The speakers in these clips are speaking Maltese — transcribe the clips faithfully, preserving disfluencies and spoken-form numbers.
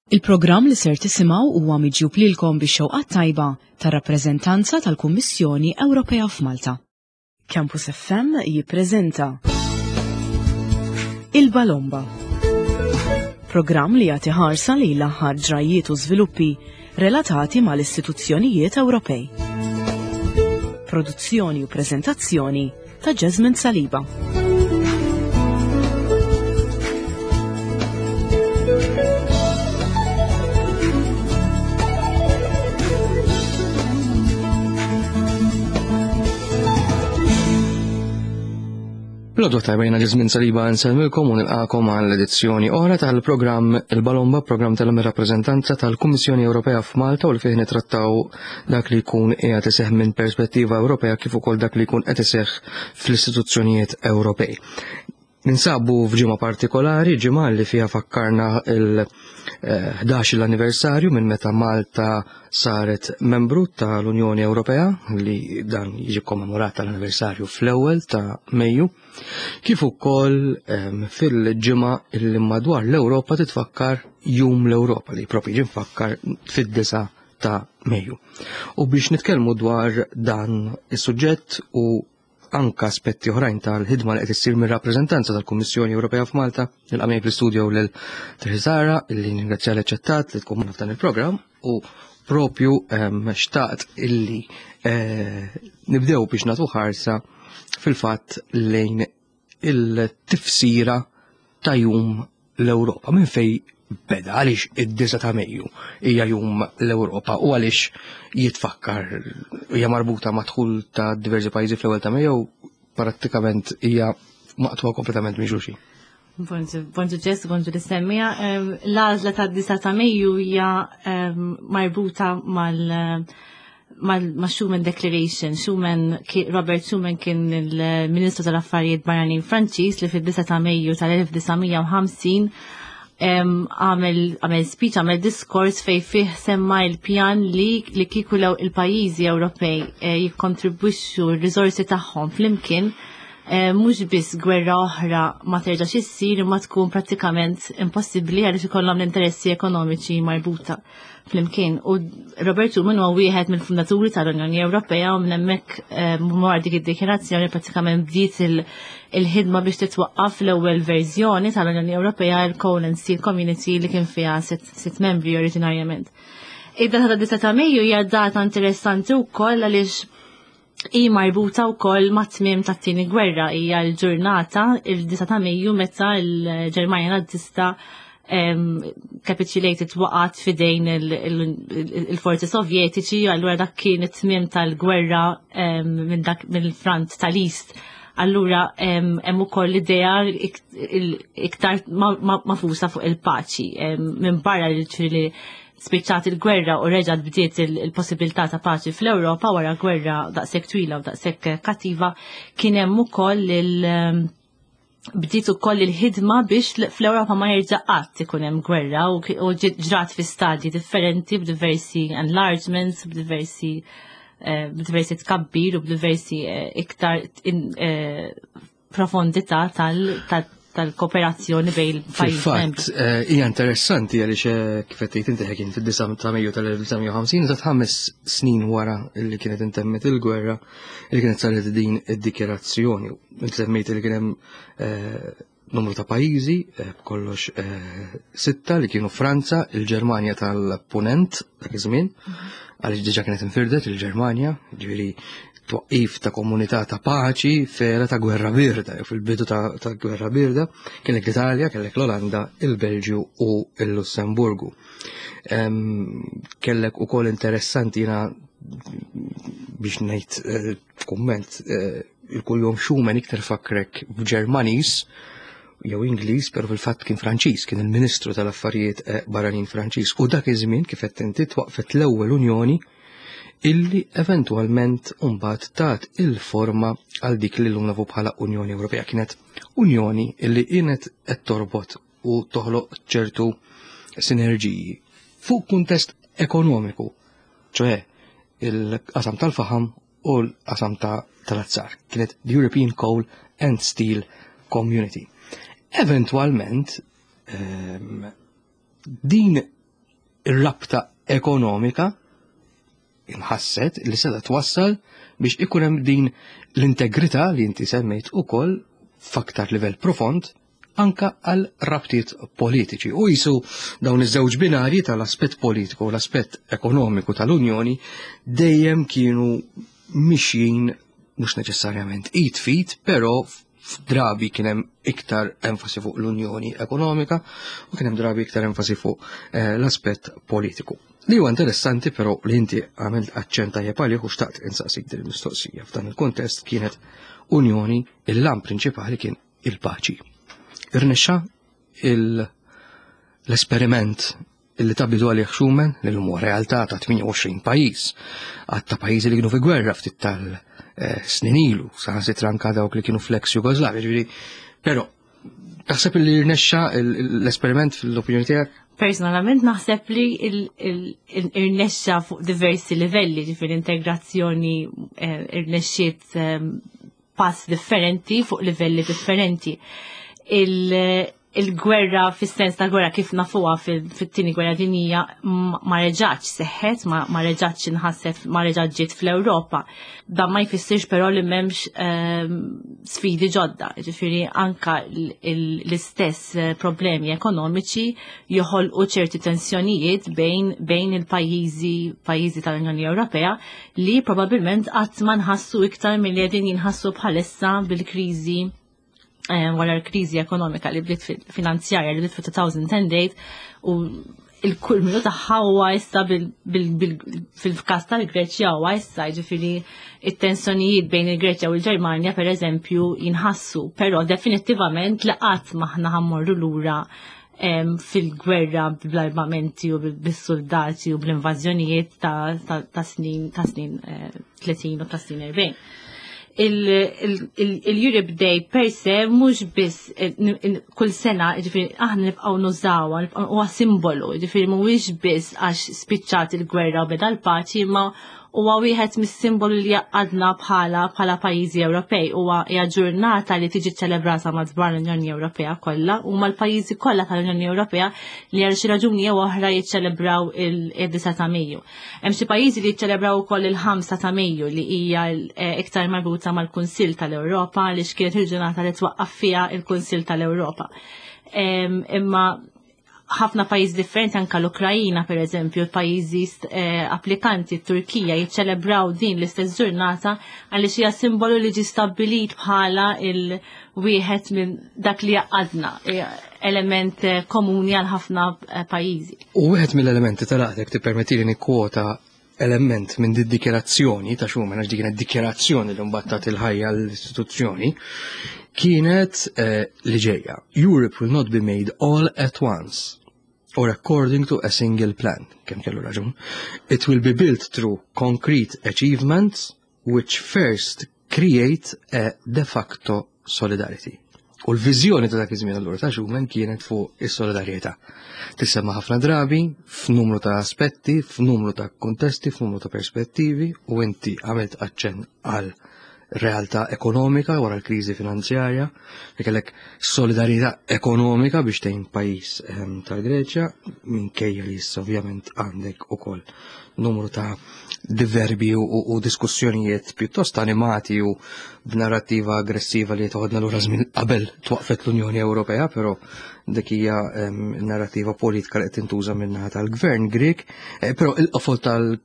Il-programm li ser tisimgħu huwa miġjub lilkom bix-xewqa tajba tar-rappreżentanza tal-Kummissjoni Ewropea f'Malta. Campus F M jippreżenta Il-Balomba. Programm li jagħti ħarsa li l-aħħar ġrajiet u żviluppi relatati mal-istituzzjonijiet Ewropej. Produzzjoni u preżentazzjoni ta' Jasmine Saliba. L-għodwa t-tajba, jiena Ġesmin Saliba, nsellmilkom u nilqagħkom għal edizzjoni oħra tal-programm Il-Balomba, programm tal-rappreżentanza tal-Kummissjoni Ewropea f'Malta u li fih nitrattaw dak li jkun qiegħed iseħħ minn perspettiva Ewropea kif ukoll dak li jkun qed iseħħ fl-istituzzjonijiet Ewropej. Ninsabu f'ġimgħa partikolari, ġimgħa li fiha fakkarna il-ħdax l-anniversarju minn meta Malta saret membru tal-Unjoni Ewropea, li dan jiġi kommemorat tal-anniversarju fl-ewwel ta' Mejju, kif ukoll fil-ġimgħa li madwar l-Ewropa titfakkar Jum l-Ewropa, li propju jiġi mfakkar fid-disa ta' Mejju. U biex nitkellmu dwar dan is-suġġett u anka aspetti oħrajn tal-ħidma li qed issir mir-rappreżentanza tal-Kummissjoni Ewropea f'Malta, nilqa' miegħi fl-istudio lil Therese illi ningrazzja li aċċettat li tkun f'dan il-programm, u propju xtaqt illi eh, nibdew biex nagħtu ħarsa fil-fatt lejn il-tifsira ta' Jum l-Ewropa. Minn fej beda, għaliex id-disa ta' Mejju hija Jum l-Ewropa u għaliex jitfakkar, hija marbuta ma' dħul ta' diversi pajjiżi fl-ewwel ta' Mejju, prattikament hija maqtugħa kompletament minn xulxin? Bonġu Ġess, bonġu lis-semmiegħa. L-għażla ta' disa ta' Mejju hija marbuta mal- ma' Schuman Declaration. Schuman, Robert Schuman kien il-Ministru tal-Affarijiet Barranin Franċiż li fid-disa ta' Mejju tal-elf disa' mija u ħamsin għamel għamel speech, għamel diskors fej fih semma il-pjan li li kieku law il-pajjiżi Ewropej eh, jikkontribwixxu r-riżorsi tagħhom flimkien, eh, mhux biss gwerra oħra ma terġax issir, imma tkun prattikament impossibbli għaliex ikollhom l-interessi ekonomiċi marbuta flimkien. U Robert Schuman huwa wieħed mill-fundaturi tal-Unjoni Ewropea u minn hemmhekk eh, wara dik id-dikjarazzjoni prattikament bdiet il-ħidma biex titwaqqaf l-ewwel verżjoni tal-Unjoni Ewropea, il-Coal and Steel Community, li kien fiha sitt membri oriġinarjament. Id-data ta' disa ta' Mejju hija data interessanti wkoll għaliex hi marbuta wkoll ma' tmiem tat-tieni gwerra. Hija l-ġurnata, il-disa ta' Mejju, meta l-Ġermanja Nazista capitulated, waqgħet f'idejn il-forzi sovjetiċi. Allura dak kien it-tmiem tal-gwerra minn dak mill-front tal-East. Allura hemm ukoll l-idea iktar magħfusa fuq il-paċi. Minn barra li spiċċat il-gwerra u reġgħet bdiet il-possibilità ta' paċi fl-Ewropa wara gwerra daqshekk twila u daqshekk kattiva, kien hemm ukoll il- bdiet ukoll il-ħidma biex fl-Ewropa ma jerġa' qatt ikun hemm gwerra, u ġrat fi stadji differenti b'diversi enlargements, b'diversi eh, b'diversi tkabbir u b'diversi eh, iktar eh, profondità tal-kooperazzjoni bejn il-pajjiżi. Fil-fatt, hija interessanti għaliex, kif qed tgħid inti, kien fid-disa ta' Mejju tal-elf disa' mija u ħamsin, ta' ħames snin wara li kienet intemmet il-gwerra, li kienet saret din id-dikjerazzjoni. Inti semmejt li kien hemm numru ta' pajjiżi, b'kollox sitta, li kienu Franza, il-Ġermanja tal-Punent dak iż-żmien, għaliex diġà kienet infirdet il-Ġermanja, ġifieri twaqqif ta' komunità ta' paċi f'era ta' gwerra birda, fil-bidu ta', ta gwerra birda, kellek l-Italja, kellek l-Olanda, il-Belġju u il-Lussemburgu. Kellek ukoll, interessanti, jiena biex ngħid eh, kumment, eh, il-kuljom Schuman iktar fakkrek b'Ġermaniż jew Ingliż, pero fil-fatt kien Franċiż, kien il-Ministru tal-Affarijiet eh, Barranin Franċiż. U dak iż-żmien, kif qed inti, twaqfet l-ewwel Unjoni illi eventualment mbagħad tat il-forma għal dik li llum nafu bħala Unjoni Ewropea. Kienet Unjoni illi kienet qed torbot u toħloq ċertu sinerġiji fuq kuntest ekonomiku, ċoħe il-qasam tal-faham u l-qasam tal-azzar. Kienet the European Coal and Steel Community. Eventualment, um, din Ir-rabta ekonomika inħasset li seta twassal biex ikun hemm din l-integrità li inti semmejt ukoll f'aktar livell profond anka għal rabtiet politiċi. U jisu dawn iż-żewġ binarji tal-aspett politiku u l-aspett ekonomiku tal-Unjoni dejjem kienu mixjin mhux neċessarjament id f'id, però f'drabi kien hemm iktar enfasi fuq l-Unjoni Ekonomika u kien hemm drabi iktar enfasi fuq eh, l-aspett politiku. Li huwa interessanti però li inti għamilt aċċenn tajjeb għalih u xtaqt insaqsik din il-mistoqsija f'dan il-kontest kienet Unjoni il-għan prinċipali kien il-paċi. Irnexxa l-esperiment illi ta bidu għalih Schuman li l realtà ta' tmienja u għoxrin pajjiż, għadd ta' pajjiżi li kienu fi gwerra ftit tal-snin ilu, saħansitra anka dawk li kienu fl-ex Jugoslavia, ġifieri, però taħseb li rnexxa l-esperiment fl-opinjoni tiegħek? Personalment naħseb li irnexxa fuq diversi livelli, ġifieri integrazzjoni eh, irnexxiet ehm, pass differenti fuq livelli differenti. Il-gwerra fis-sens ta' gwerra kif nafuha fit-tieni gwerra dinjija ma reġgħatx seħħet, ma reġgħatx inħasset, ma reġgħatx ġiet fl-Ewropa. Dan ma jfissirx però li m'hemmx ehm, sfidi ġodda, ġifieri anka l-istess eh, problemi ekonomiċi joħolqu ċerti tensjonijiet bejn bejn il-pajjiżi pajjiżi tal-Unjoni Ewropea li probabbilment qatt ma nħassu iktar milli qegħdin jinħassu bħalissa bil-kriżi Eh, wara l-kriżi ekonomika li bdiet finanzjarja li bdiet fil-elfejn u tmienja u il-kulminu tagħha huwa issa fil-każ tal-Greċja huwa issa, ġifieri it-tensjonijiet bejn il-Greċja u l-Ġermanja pereżempju jinħassu, però definittivament li qatt m'aħna ħa mmorru lura fil-gwerra bl-armamenti u bis-soldati u bl-invażjonijiet ta' snin ta' snin tletin eh, u ta' snin erbgħin. Il-Europe Day per se mhux biss eh, kull sena, ġifieri aħna nibqgħu nużawha, huwa simbolu, ġifieri mhuwiex biss għax spiċċat il-gwerra u beda l-paċi, ma huwa wieħed mis-simbolu li għadna bħala bħala pajjiżi Ewropej. Huwa hija ġurnata li tiġi ċelebrata madwar l-Unjoni Ewropea kollha u mal-pajjiżi kollha tal-Unjoni Ewropea li għal xi raġuni jew oħra jiċċelebraw il-disa ta' Mejju. Hemm xi pajjiżi li jiċċelebraw ukoll il-ħamsa ta' Mejju li hija eh, iktar marbuta mal-Kunsill tal-Ewropa li x'kienet il-ġurnata li twaqqaf fiha il-Kunsill tal-Ewropa. Imma ħafna pajjiż differenti, anka l-Ukrajina per eżempju, pajjiżi eh, applikanti, Turkija, jiċċelebraw din l-istess ġurnata għaliex hija simbolu li ġi stabbilit bħala il-wieħed minn dak li għadna, element eh, komuni għal ħafna eh, pajjiżi. U wieħed mill-elementi tal-għadek tippermettili nikkwota element minn di dikjerazzjoni ta' Schuman, għax dik kienet dikjerazzjoni li mbagħad il-ħajja l-istituzzjoni, kienet eh, li ġejja: "Europe will not be made all at once or according to a single plan." Kemm kellu raġun. "It will be built through concrete achievements which first create a de facto solidarity." U l-viżjoni ta' dak iż-żmien allura ta' Schuman kienet fuq is-solidarjetà. Tissemma ħafna drabi f'numru ta' aspetti, f'numru ta' kontesti, f'numru ta' perspettivi u inti għamilt aċċenn għal realtà ekonomika wara l-kriżi finanzjarja li kellek solidarjetà ekonomika biex tgħin pajjiż ehm, tal-Greċja, minkejja li issa ovvjament għandek ukoll numru ta' diverbi u, u diskussjonijiet pjuttost animati u b'narrattiva aggressiva li toħodna lura żmien qabel twaqfet l-Unjoni Ewropea, però dik hija ehm, narrattiva politika li qed tintuża min-naħa tal-Gvern Grek, eh, però il-qofol tal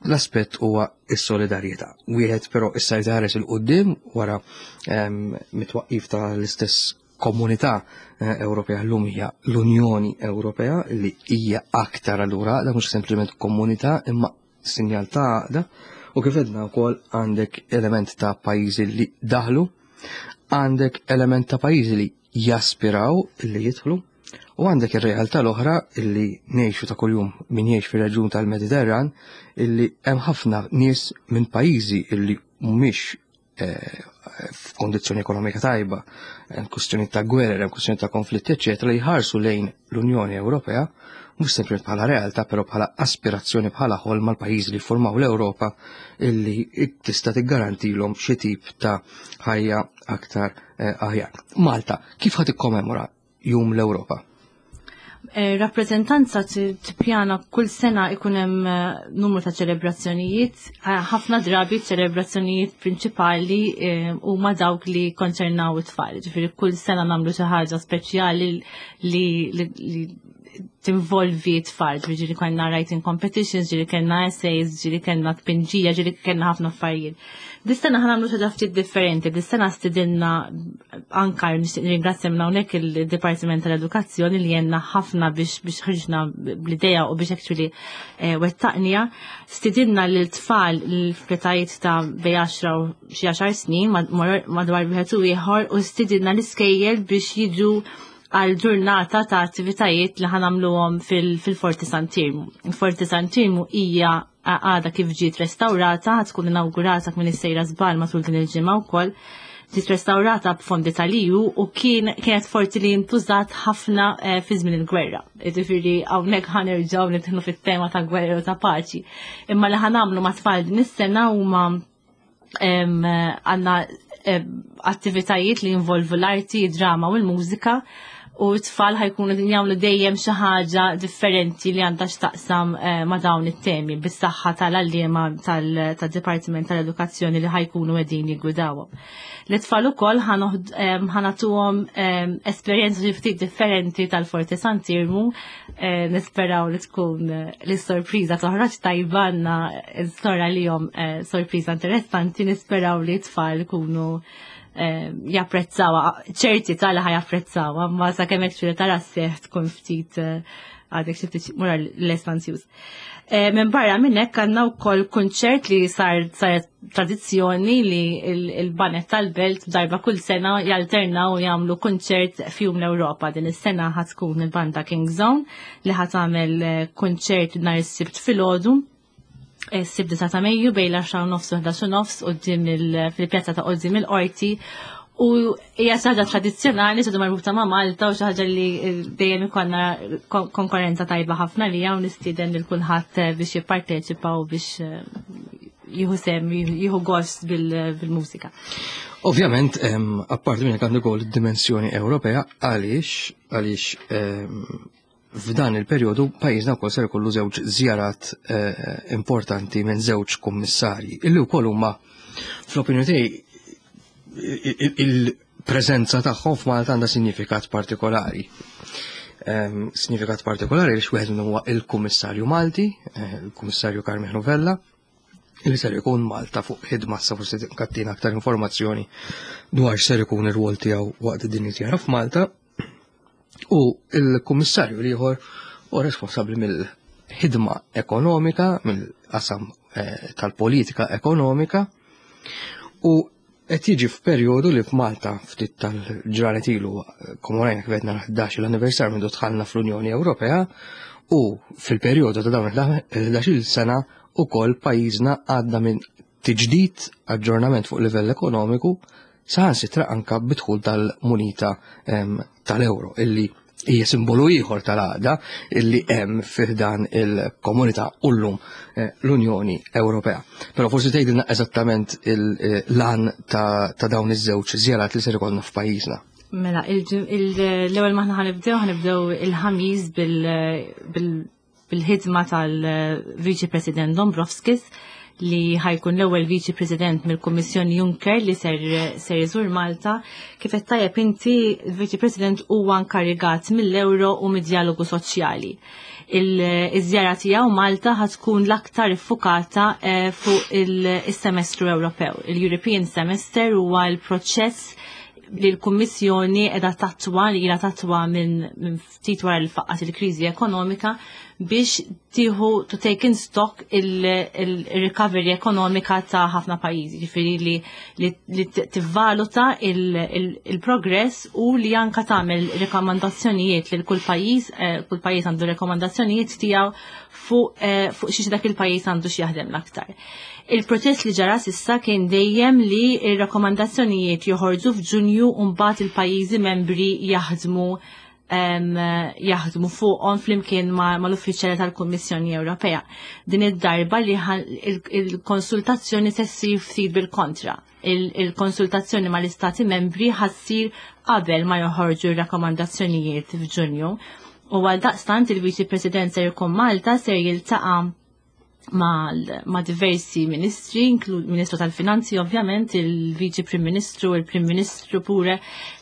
l-aspett huwa is-solidarjetà. Wieħed però issa jħares 'il quddiem wara ehm, mit-twaqqif tal-istess komunità eh, Ewropea, llum hija l-Unjoni Ewropea li hija aktar allura da mhux sempliċement komunità imma sinjal ta' għaqda u kif għedna wkoll għandek element ta' pajjiżi li daħlu, għandek element ta' pajjiżi li jaspiraw li jidħlu u għandek ir-realtà l-oħra illi ngħixu ta' kuljum min jgħix fir-reġjun tal-Mediterran, illi hemm ħafna nies minn pajjiżi illi mhumiex eh, f'kondizzjoni ekonomika tajba, hemm kwistjoni ta' gwerra, hemm kwistjoni ta' konflitti, eċetera, li jħarsu lejn l-Unjoni Ewropea mhux sempliċement bħala realtà, però bħala aspirazzjoni, bħala ħolma l-pajjiżi li formaw l-Ewropa illi tista' tiggarantilhom xi tip ta' ħajja aktar eh, aħjar. Malta, kif ħa tikkommemora Jum l-Ewropa? Eh, rappreżentanza tippjana kull sena ikun hemm eh, numru ta' ċelebrazzjonijiet, ħafna drabi ċelebrazzjonijiet prinċipali eh, huma dawk li konċernaw it-tfal. Ġifieri kull sena nagħmlu xi ħaġa speċjali li, li, li tinvolvi t-tfal, ġifieri kellna writing competitions, ġieli kellna essays, ġieli kellna tpinġija, ġieli kellna ħafna affarijiet. Dis-sena ħa nagħmlu xi ftit differenti, dis-sena stidinna anka nixtieq nirringrazzja minn hawnhekk il-Dipartiment tal-Edukazzjoni li għenna ħafna biex biex ħriġna bl-idea u biex actually eh, wettaqnieha. Stidinna lil tfal l-f'etajiet ta' bejn għaxra u xi għaxar snin madwar wieħed u ieħor u stidinna l-iskejjel biex jiġu għal ġurnata ta' attivitajiet li ħa nagħmluhom fil-Forti Sant'Iermu. Il-Forti Sant'Iermu hija għada kif ġiet restaurata, tkun inaugurata m'iniex sejra żball matul din il-ġimgħa wkoll. Ġiet restaurata b'fondi tal-E U u kien kienet forti li ntużat ħafna eh, fi żmien il-gwerra. Ġifieri hawnhekk ħa nerġgħu nidħlu fit-tema ta' gwerra u ta' paċi. Imma li ħa nagħmlu ma' tfal din is-sena huma għandna attivitajiet li jinvolvu l-arti, drama u l-mużika u t-tfal ħa jkunu din jagħmlu dejjem xi ħaġa differenti li għandha x'taqsam eh, ma' dawn it-temi bis-saħħa tal-għalliema tad-Dipartiment tal-Edukazzjoni li ħa jkunu qegħdin jiggwidawhom. L-tfal ukoll ħa nagħtuhom esperjenza xi ftit differenti tal-Forti Sant'Iermu, eh, nisperaw li tkun eh, li sorpriża toħroġ tajba, għandna storja li jom sorpriża interessanti, nisperaw li t-tfal ikunu japprezzawa, ċerti tal ħa japprezzawa, ma sa kemm hekk tara seħ tkun ftit eh, għadek xi ftit mura less anzjuż. Eh, minn barra minn hekk għandna wkoll kunċert li sar saret tradizzjoni li il-baned tal-belt darba kull sena jalternaw u jagħmlu kunċert f'Jum l-Ewropa. Din is-sena ħa tkun il-banda King Zone li ħa tagħmel eh, kunċert nhar is-Sibt filgħodu, Sibt ta' Mejju, bejn l-għaxra u nofs u ħdax u nofs quddiem fil-pjazza ta' quddiem il-qorti u hija xi ħaġa tradizzjonali, xi marbuta ma' Malta u xi ħaġa li dejjem ikollna konkurrenza tajba ħafna li hawn nistieden lil kulħadd biex jipparteċipa u biex eh, jieħu sehem, jieħu gost bil-mużika. Ovvjament, apparti minn għandu ukoll dimensjoni Ewropea għaliex għaliex f'dan il-perjodu pajjiżna wkoll ser ikollu żewġ żjarat eh, importanti minn żewġ kummissarji illi wkoll huma, fl-opinjoni tiegħi, il-preżenza tagħhom f'Malta għandha sinifikat partikolari. Sinifikat partikolari li wieħed minnhom huwa il-Kummissarju Malti, eh, il-Kummissarju Karmenu Vella, li ser ikun Malta fuq ħidma, sa forsi tagħtina aktar informazzjoni dwar ser ikun ir-rwol tiegħu waqt din iż-żjara f'Malta. U il-kummissarju l-ieħor u responsabbli mill-ħidma ekonomika, mill-qasam eh, tal-politika ekonomika, u qed jiġi f'perjodu li f'Malta ftit tal-ġranet ilu kommemorajna kif qedna l-ħdax l-anniversarju minn dħalna fl-Unjoni Ewropea u fil-perjodu ta' dawn il-ħdax-il sena ukoll pajjiżna għadda minn tiġdid, aġġornament fuq livell ekonomiku, saħansitra anka bid-dħul tal-munita tal-euro, illi hija simbolu ieħor tal-għaqda illi hemm fih dan il-komunità u llum eh, l-Unjoni Ewropea. Però forsi tgħidilna eżattament l-għan ta' dawn iż-żewġ żjarat li ser ikollna f'pajjiżna. Mela, l-ewwel maħna ħa nibdew ħa nibdew il-Ħamis bil-ħidma tal-Viċi President Dombrovskis, li ħa jkun l-ewwel Viċi President mill-Kummissjoni Juncker li ser ser iżur Malta. Kif qed tajjeb inti, il-Viċi President huwa nkarigat mill-euro u mid-dialogu soċjali. Il-żjara tiegħu Malta ħa tkun l-aktar iffukata eh, fuq il-semestru Ewropew. Il-European Semester huwa l-proċess li l-Kummissjoni qiegħda tattwa, li ilha tattwa minn ftit wara li faqqat il-kriżi ekonomika, biex tieħu to take in stock il-recovery ekonomika ta' ħafna pajjiżi, ġifieri li, li, li tivvaluta il-progress u li anka tagħmel rekomandazzjonijiet lil kull pajjiż, eh, kull pajjiż għandu rekomandazzjonijiet tiegħu fuq eh, fuq xiex dak il-pajjiż għandu x'jaħdem l-aktar. Il-proċess li ġara s'issa kien dejjem li il-rakkomandazzjonijiet joħorġu f'Ġunju u mbagħad il-pajjiżi membri jaħdmu jaħdmu fuqhom flimkien mal-uffiċjali tal-Kummissjoni Ewropea. Din id-darba li il-konsultazzjoni se ssir ftit bil-kontra. Il-konsultazzjoni mal-istati membri ħa ssir qabel ma joħorġu r-rakkomandazzjonijiet f'Ġunju. U għal daqstant il-Viċi President ser jkun Malta, ser jiltaqa' ma, ma diversi ministri, inklu Ministru tal-Finanzi ovvjament, il-Viċi Prim Ministru, il-Prim Ministru pure,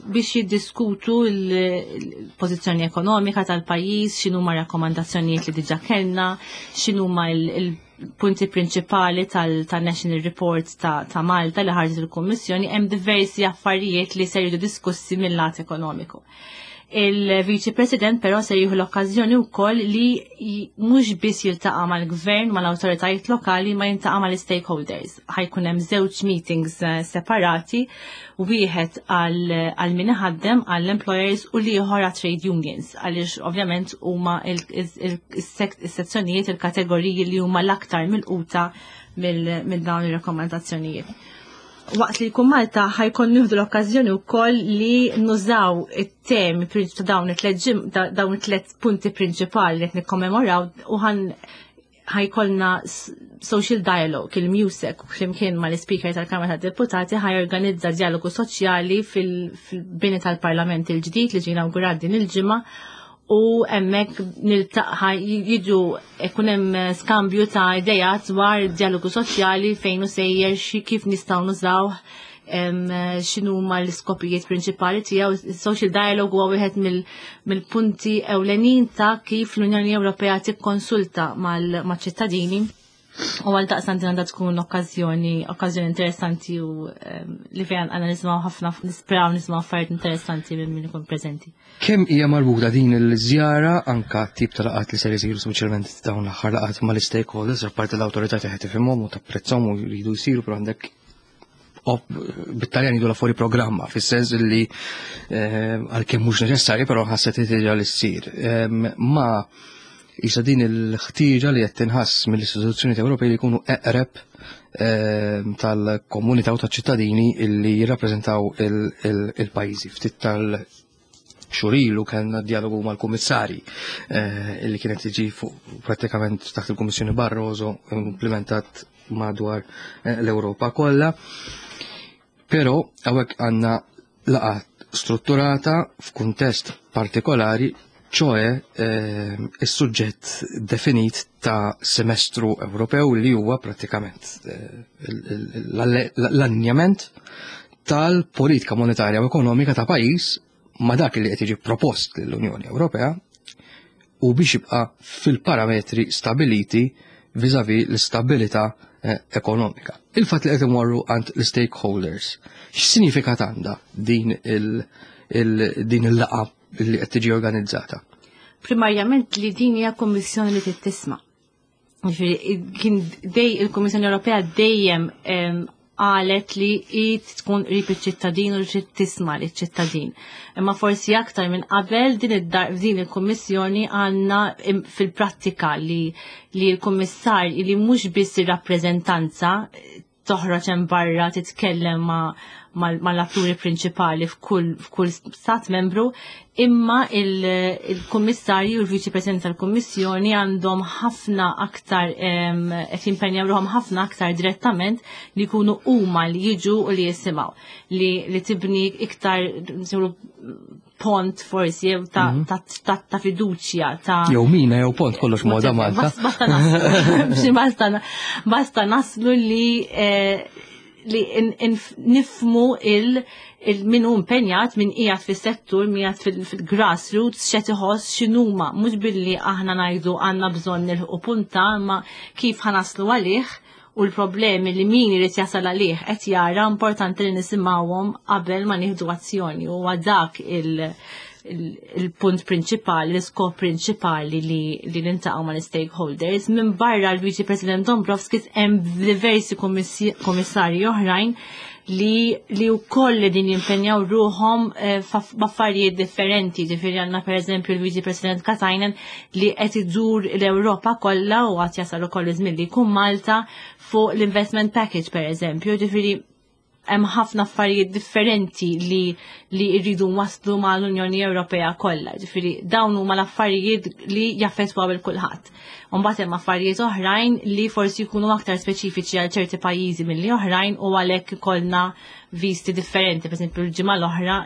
biex jiddiskutu il-pożizzjoni ekonomika tal-pajjiż, x'inhuma rakkomandazzjonijiet li diġà kellna, x'inhuma il-punti prinċipali tal-National Report ta', ta Malta li ħarġet il-Kummissjoni. Hemm diversi affarijiet li ser jiġu diskussi mill-lat ekonomiku. Il-Viċi President però se jieħu l-okkażjoni wkoll li mhux biss jiltaqa' mal-gvern, mal-awtoritajiet lokali, ma jiltaqa' mal-stakeholders. Ħa jkun hemm żewġ meetings eh, separati, wieħed għal min iħaddem, għall-employers, u l-ieħor għal trade unions, għaliex ovvjament huma il-sezzjonijiet, il-kategoriji li huma l-aktar milquta mill dawn ir-rakkomandazzjonijiet. Waqt li jkun Malta ħa jkun nieħdu l-okkażjoni wkoll li nużaw it-temi ta' dawn it-tliet dawn it-tliet punti prinċipali li qed nikkommemoraw u ħan ħa jkollna social dialogue. Il-MEUSAC flimkien ma l-Speaker tal-Kamra tad-Deputati ħa jorganizza dialogu soċjali fil-bini tal-Parlament il-ġdid li ġie inawgurat din il-ġimgħa, u hemmhekk niltaqa', jiġu ikun hemm skambju ta' idejat dwar dialogu soċjali, fejn hu sejjer, xi kif nistgħu nużaw, x'inhu ma l-iskopijiet prinċipali tiegħu. Social dialogue huwa wieħed mill-punti ewlenin ta' kif l-Unjoni Ewropea tikkonsulta mal-ċittadini. U għal daqstant għandha tkun okkażjoni okkażjoni interessanti u li fejn għandna nismgħu ħafna, nisperaw nismgħu affarijiet interessanti minn min ikun preżenti. Kemm hija marbuta din il-żjara anka tip ta' laqgħat li ser isiru, speċjalment dawn l-aħħar laqgħat mal-stakeholders? Apparti l-awtorità teħet tifhimhom u tapprezzhom u jridu jsiru, però għandek bit-Taljan jgħidu fuori programma, fis-sens li għalkemm mhux neċessarju, però ħasset ħtieġa li ssir. Ma isa din il-ħtieġa li qed tinħass mill-istituzzjoni Ewropej li jkunu eqreb ehm, tal-komunità u tal-ċittadini illi jirrappreżentaw il-pajjiżi. Ftit tal-xhur ilu kellna dialogu mal-kummissari eh, illi kienet tiġi fuq prattikament taħt il-Kummissjoni Barroso, implementat madwar eh, l-Ewropa kollha. Però hawnhekk għandna laqgħa strutturata f'kuntest partikolari, ċoe eh, is-suġġett definit ta' semestru Ewropew, li huwa prattikament eh, l-allinjament tal-politika monetarja u ekonomika ta' pajjiż ma' dak li qed jiġi propost lill-Unjoni Ewropea u biex jibqa' fil-parametri stabiliti vis-à-vis l-istabilità eh, ekonomika. Il-fatt li qed imorru għand l-stakeholders, x'sinifikat għandha din il- din il-laqgħa li qed tiġi organizzata? Primarjament li din hija kummissjoni li tisma'. Kien dej il-Kummissjoni Ewropea dejjem qalet li id tkun qrib iċ-ċittadin u li tisma' liċ-ċittadin. Imma forsi aktar minn qabel din din il-Kummissjoni għandna fil-prattika li li l-Kummissar li mhux biss ir-rappreżentanza toħroġ hemm barra titkellem ma' mal-atturi prinċipali f'kull f'kull stat membru, imma il-kummissarju u l-Viċi President tal-Kummissjoni għandhom ħafna aktar, qed jimpenjaw ruħhom ħafna aktar direttament li jkunu huma li jiġu u li jisimgħu, li, li tibni iktar pont forsi jew ta', mm -hmm. ta, ta, ta fiduċja ta' Jew mina jew pont, kollox moda Malta. Basta naslu, basta, basta naslu li eh, li nifhmu il il min hu impenjat, min qiegħed fis-settur, min qiegħed fil-grassroots, x'qed iħoss, x'inhuma, mhux billi aħna ngħidu għandna bżonn nilħqu punta, ma kif ħa naslu għalih u l-problemi li min irid jasal għalih qed jara, importanti li nisimgħuhom qabel ma nieħdu azzjoni. U dak il- il-punt prinċipali, l-iskop prinċipali li, li niltaqgħu ma' l-stakeholders. Minn barra l-Viċi President Dombrovskis hemm diversi kummissarji oħrajn li li wkoll din jimpenjaw ruħhom eh, f'affarijiet differenti. Ġifieri għandna pereżempju l-Viċi President Katainen li qed idur l-Ewropa kollha u għad jasal ukoll iż-żmien li jkun Malta fuq l-investment package pereżempju. Ġifieri hemm ħafna affarijiet differenti li li rridu waslu mal-Unjoni Ewropea kollha. Ġifieri dawn huma l-affarijiet li jaffettwaw il kulħadd. Mbagħad hemm affarijiet oħrajn li forsi jkunu aktar speċifiċi għal ċerti pajjiżi milli oħrajn u għalhekk ikollna visti differenti. Per esempio, l-ġimgħa l-oħra,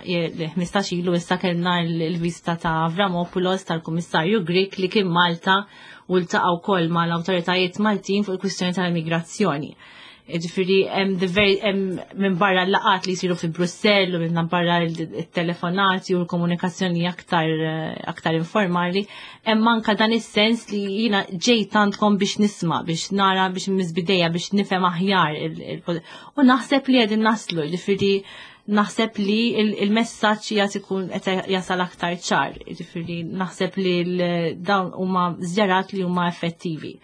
ħmistax ilu issa, kellna l-vista ta' Avramopoulos, tal-Kummissarju Grek, li kien Malta u ltaqa' wkoll mal-awtoritajiet Maltin fuq il-kwistjoni tal-immigrazzjoni. Ġifieri, hemm minn barra l-laqat li jsiru fi Brussell u minn barra il-telefonati u l-komunikazzjoni aktar aktar informali, hemm anka dan is-sens li jiena ġejt għandkom biex nisma', biex nara, biex misbideja, biex nifhem aħjar. U naħseb li qegħdin naslu, ġifieri naħseb li il-messaġġ jgħat ikun qed jasal aktar ċar, ġifieri naħseb li dawn huma żjarat li huma effettivi.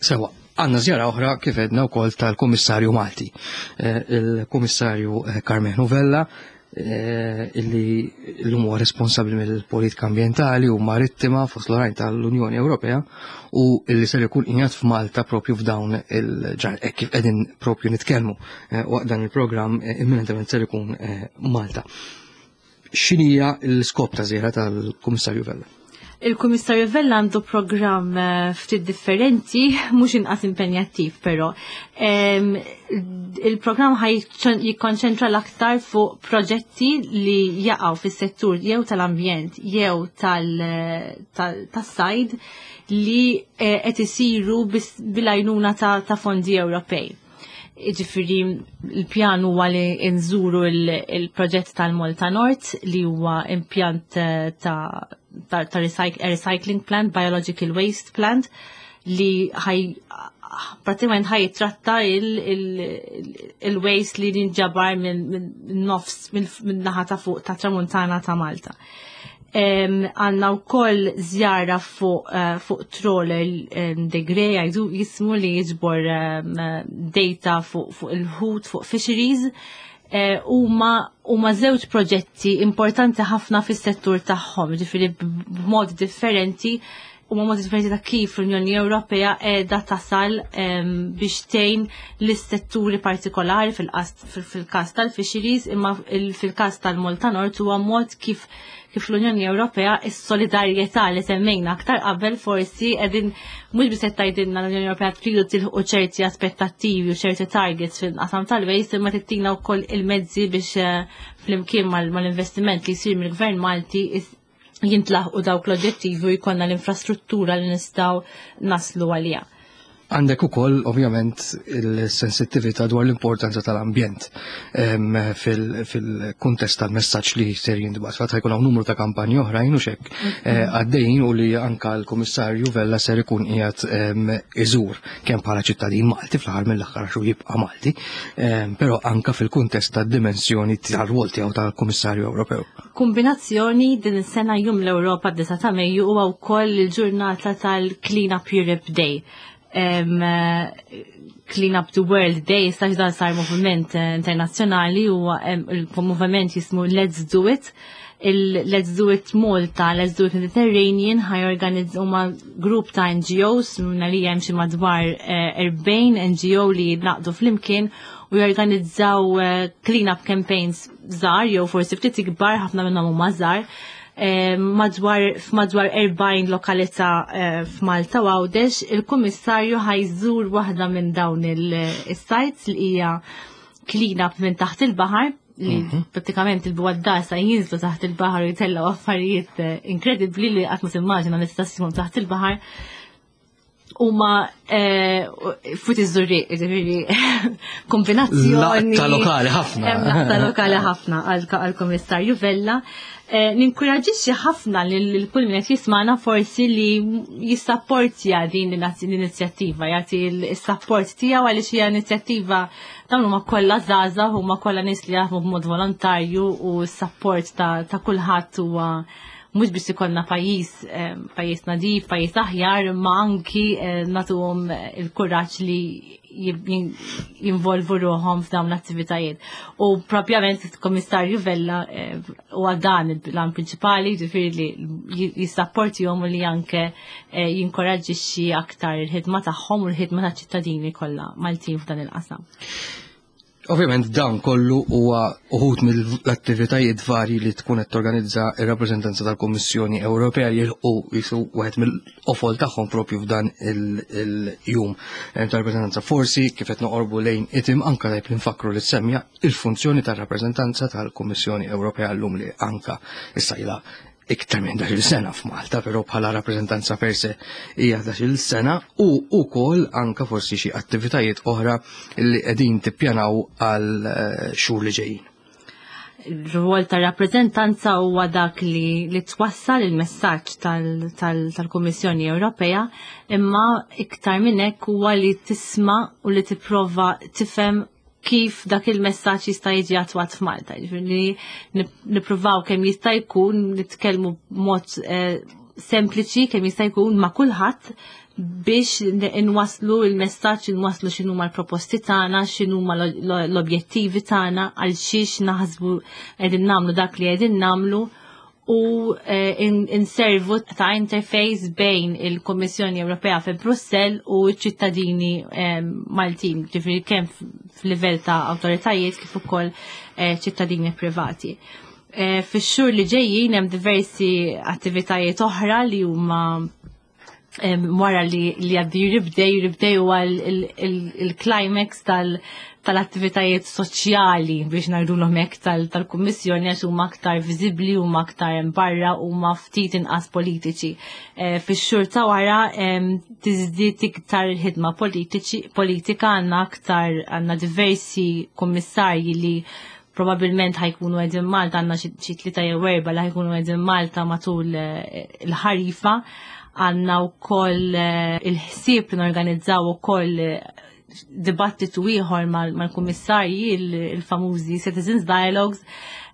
Sewa, għandna żjara oħra, kif għedna wkoll, tal-Kummissarju Malti, eh, il-Kummissarju eh, Karmenu Vella, eh, illi l-lum huwa responsabbli mill-politika ambientali u marittima fost l-oħrajn tal-Unjoni Ewropea u illi ser ikun qiegħed f'Malta propju f'dawn il-ġar kif qegħdin propju nitkellmu waqt dan il-programm, imminentement ser ikun Malta. X'inhija l-iskop ta' żjara tal-Kummissarju Vella? Il-Kummissarju Vella għandu programm eh, ftit differenti, mhux inqas impenjattiv però. Il-programm ħaj jikkonċentra l-aktar fuq proġetti li jaqgħu fis-settur jew tal-ambjent jew tas-sajd li eh, qed isiru bil-għajnuna ta' fondi Ewropej. Ġifieri il-pjan huwa li nżuru il-proġett tal-Malta North, li huwa impjant eh, ta' ta', ta recycling plant, biological waste plant, li ħaj pratikament ħaj tratta il-waste li ninġabar minn nofs, minn naħa ta' fuq ta' tramuntana ta' Malta. Għandna wkoll żjara fuq uh, fuq trawler De Grey għajdu jismu, li jiġbor data fuq fu il-ħut, fuq fisheries. Huma huma żewġ proġetti importanti ħafna fis-settur tagħhom, ġifieri b'mod differenti u mod differenti ta' kif l-Unjoni Ewropea qiegħda tasal biex tgħin l-setturi partikolari fil-każ tal-fisheries, imma fil-każ tal-Malta Nord huwa mod kif kif l-Unjoni Ewropea, is-solidarjetà li semmejna aktar qabel, forsi qegħdin mhux biss qed tgħidilna l-Unjoni Ewropea tridu tilħu ċerti aspettattivi u ċerti targets fil-qasam tal-waste, imma tittina wkoll il-mezzi biex eh, flimkien mal-investiment li jsir mill-Gvern Malti jintlaħqu dawk l-oġġettivi u jkollna l-infrastruttura li nistgħu naslu għalija. Għandek ukoll ovvjament il-sensittività dwar l-importanza tal-ambjent fil-kuntest tal-messaġġ li ser jintbagħat. Fatt jkun hawn numru ta' kampanji oħrajn u xek eh, għaddejjin u li anka l-Kummissarju Vella ser ikun qiegħed iżur kemm bħala ċittadin Malti, fl-aħħar mill-aħħar xu jibqa' Malti, però anka fil-kuntest tad-dimensjoni tal-rwol tiegħu tal-Kummissarju Ewropew. Kombinazzjoni din is-sena, Jum l-Ewropa, disa ta' Mejju, huwa wkoll il-ġurnata tal-Clean Up Europe Day. um, Clean Up the World Day, sax dan sar moviment eh, internazzjonali u il-moviment jismu Let's Do It. Il-Let's Do It Malta, Let's Do It Mediterranean, ħaj organizz huma grupp ta' N G Os, minna li hemm xi madwar erbgħin eh, N G O li naqdu flimkien u jorganizzaw eh, clean up campaigns żgħar jew forsi ftit ikbar, ħafna minnhom huma żgħar, Eh, madwar f'madwar erbgħin lokalità eh, f'Malta u Għawdex. Il-Kummissarju ħajżur waħda minn dawn il-sites li hija clean up minn taħt il-baħar, li mhm. pratikament il-bugħaddasa jinżlu taħt il-baħar u jitellaw affarijiet eh, inkredibbli li qatt ma timmaġina li tista' taħt il-baħar. Huma fut iż-Żurrieq, ġifieri kombinazzjoni. Ta' lokali ħafna. Ta' lokali ħafna għal-Kummissarju Vella. Eh, ninkoraġixxi ħafna lil kull min qed jismana forsi li jissapportja din l-inizjattiva, jagħti s-sapport tiegħu, għaliex hija inizjattiva, dawn huma kollha żgħażagħ, huma kollha nies li jaħdmu b'mod volontarju, u s-sapport ta' kulħadd huwa mhux biex ikollna pajjiż eh, pajjiż nadif, pajjiż aħjar, imma anki eh, nagħtuhom il-kuraġġ li jinvolvu ruħhom f'dawn l-attivitajiet. U propjament il-Komissarju Vella eh, u dan il-plan prinċipali, ġifieri li jissapportihom u li anke jinkoraġġixxi aktar il-ħidma tagħhom u l-ħidma taċ-ċittadini kollha Maltin f'dan il-qasam. Ovvjament dan kollu huwa uħud mill-attivitajiet varji li tkun qed torganizza r-rappreżentanza tal-Kummissjoni Ewropea jilħqu jisu wieħed mill-qofol tagħhom propju f'dan il-jum tal-rappreżentanza. Forsi kif qed noqorbu lejn itim anka tajb li nfakru li semmja il-funzjoni tar-rappreżentanza tal-Kummissjoni Ewropea llum li anka issa ilha iktar minn ħdax-il sena f'Malta, però bħala rappreżentanza per se hija ħdax-il sena u wkoll anka forsi xi attivitajiet oħra li qegħdin tippjanaw għal eh, xhur li ġejjin. Il-rwol ta' rappreżentanza huwa dak li, li twassal il-messaġġ tal-Kummissjoni tal, tal Ewropea, imma iktar minn hekk huwa li tisma' u li tipprova tifhem kif dak il-messaġġ jista' jiġi attwat f'Malta. Ġifieri nippruvaw kemm jista' jkun nitkellmu b'mod eh, sempliċi kemm jista' jkun ma' kulħadd biex nwaslu il-messaġġ, nwaslu x'inhuma l-proposti tagħna, x'inhuma l-objettivi tagħna, għal xiex naħsbu qegħdin nagħmlu dak li qegħdin nagħmlu u eh, inservu ta' interface bejn il-Kommissjoni Ewropea fi Brussell u ċ-ċittadini eh, Maltin, ġifieri kemm f'livell ta' awtoritajiet kif ukoll eh, ċittadini privati. Fix-xhur li ġejjin hemm diversi attivitajiet oħra li huma wara li li għaddi Europe Day, Europe Day huwa il-climax tal- tal-attivitajiet soċjali biex ngħidulhom hekk tal-Kummissjoni għax huma aktar viżibbli, huma aktar barra, huma ftit inqas politiċi. Eh, fix-xhur ta' wara tiżdied iktar il-ħidma politika, għandna aktar għandna diversi kummissarji li probabilment ħajkunu qegħdin Malta, għandna xi tlieta jew erba' li ħajkunu qegħdin Malta matul eh, il-ħarifa. Għandna wkoll eh, il-ħsieb li norganizzaw ukoll dibattitu ieħor mal-kummissarji, il-famużi Citizens Dialogues.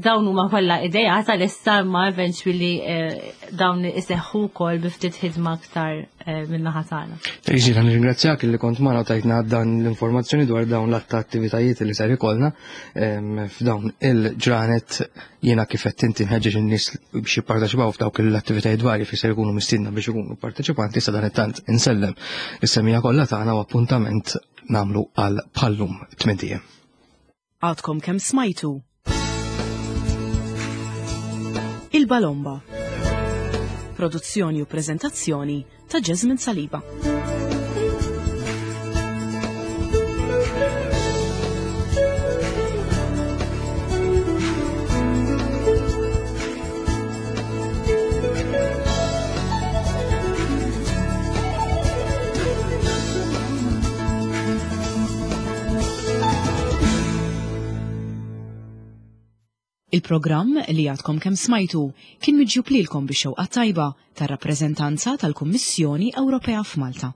Dawn huma kollha idea tal-issa, ma eventually eh, dawn iseħħu wkoll bi ftit ħidma aktar eh, min-naħa tagħna. Trixi, nirringrazzjak li kont magħna tajtna dan l-informazzjoni dwar dawn l-att attivitajiet li ser ikollna f'dawn il-ġranet. Jiena kif qed inti nħeġġeġ in-nies biex jipparteċipaw f'dawk l-attivitajiet varji fejn ser ikunu mistiedna biex ikunu parteċipanti. Sa dan it-tant insellem is-semmiegħa kollha tagħna u appuntament nagħmlu għal bħal-lum tmint ijiem. Għadkom kemm smajtu Il-Balomba. Produzzjoni u prezentazzjoni ta' Jasmine Saliba. Il-programm li għadkom kemm smajtu kien miġjub lilkom bix-xewqa tajba tar-rappreżentanza tal-Kummissjoni Ewropea f'Malta.